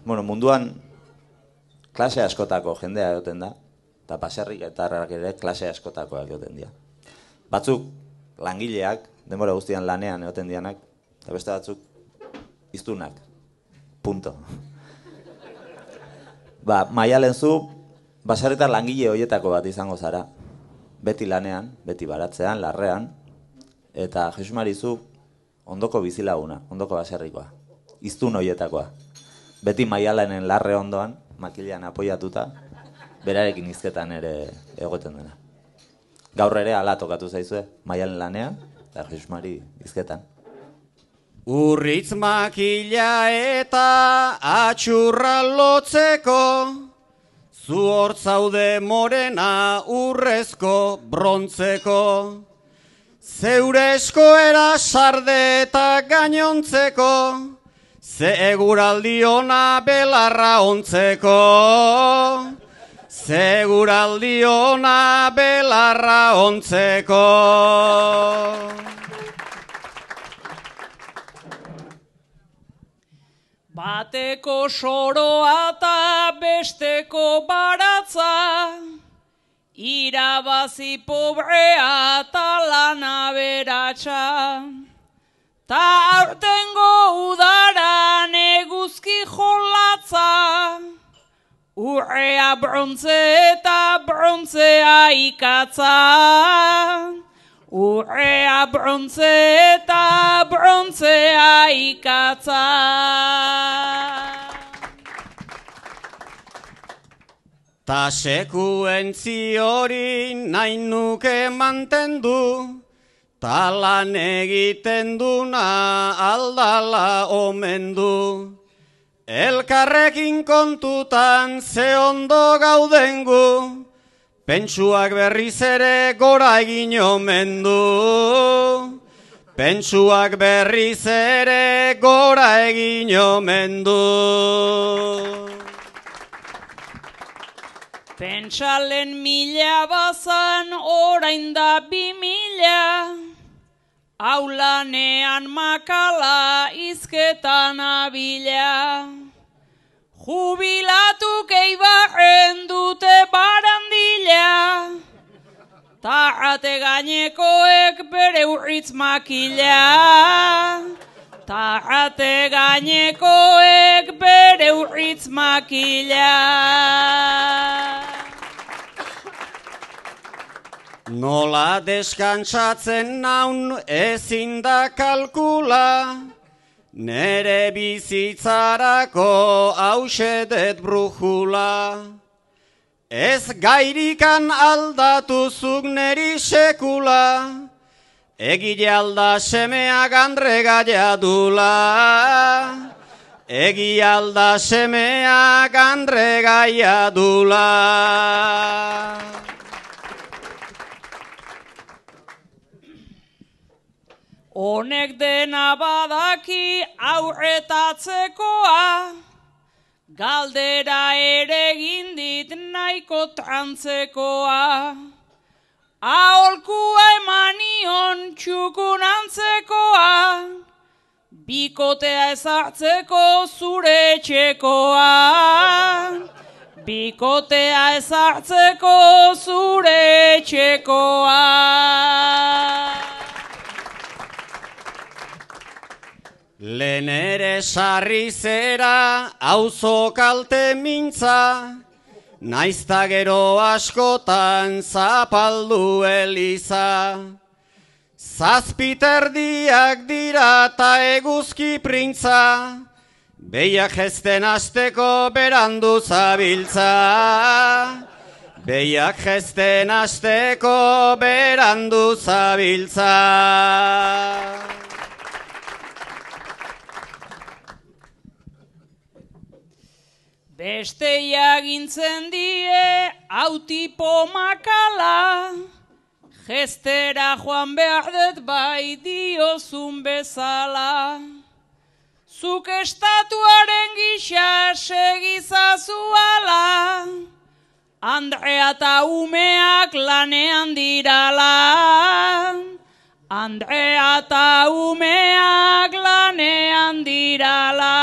munduan klase askotako jendea egoten da, eta baserriketarrak ere klase askotakoak egoten dira. Batzuk langileak, denbora guztian lanean egoten dianak, eta beste batzuk hiztunak. Punto. Maialen zu, baserritar langile horietako bat izango zara. Beti lanean, beti baratzean, larrean, eta Jesus Mari zu ondoko bizilaguna, ondoko baserrikoa. Hiztun horietakoa. Beti Maialenen larre ondoan, makilean apoiatuta, berarekin hizketan ere egoten dena. Gaur ere ala tokatu zaizue, Maialen lanean, eta Jesus Mari hizketan. Urritz makila eta atxurra lotzeko, zu hortzaude morena urrezko brontzeko, zeure eskoera sarde eta gainontzeko, ze eguraldi ona belarra ontzeko, ze eguraldi ona belarra ontzeko. Bateko soroa eta besteko baratza, irabazi pobrea eta lana beratxa. Ta aurtengo udaran eguzki jolatza, urrea brontze eta brontzea ikatza. Urrea brontze eta brontzea ikatza. Ta sekuentzi hori nahi nuke mantendu, ta lan egiten duna aldala omen du. Elkarrekin kontutan ze ondo gauden gu, pentsuak berriz ere gora egin omen du. Pentsuak berriz ere gora egin omen du. Pentsalen 1000 bazan orain da 2000, aulanean makala izketan abila. Jubilatuk eibarren dute barandila, ta ate gainekoek bere urritz makila. Ta ate gainekoek bere urritz makila. Nola deskantsatzen naun ezin da kalkula, nere bizitzarako hausedet brujula. Ez gairikan aldatuzuk neri sekula, egile alda semea gandre gaiadula. Egi alda semea gandre gaiadula. Honek dena badaki aurretatzekoa, galdera ere gindit nahiko trantzekoa. Aholkua emanion txukun antzekoa, bikotea ezartzeko zure etxekoa. Bikotea ezartzeko zure etxekoa. Lehen ere sarri zera auzo kalte mintza, naizta gero askotan zapaldu eliza. Zazpiterdiak dira ta eguzki printza, behiak jesten asteko berandu zabiltza. Behiak jesten asteko berandu zabiltza. Bestei agintzen die autipo makala, gestera joan behar dut bai diozun bezala. Zuk estatuaren gisa segizazuala, Andrea eta umeak lanean dirala. Andrea eta umeak lanean dirala.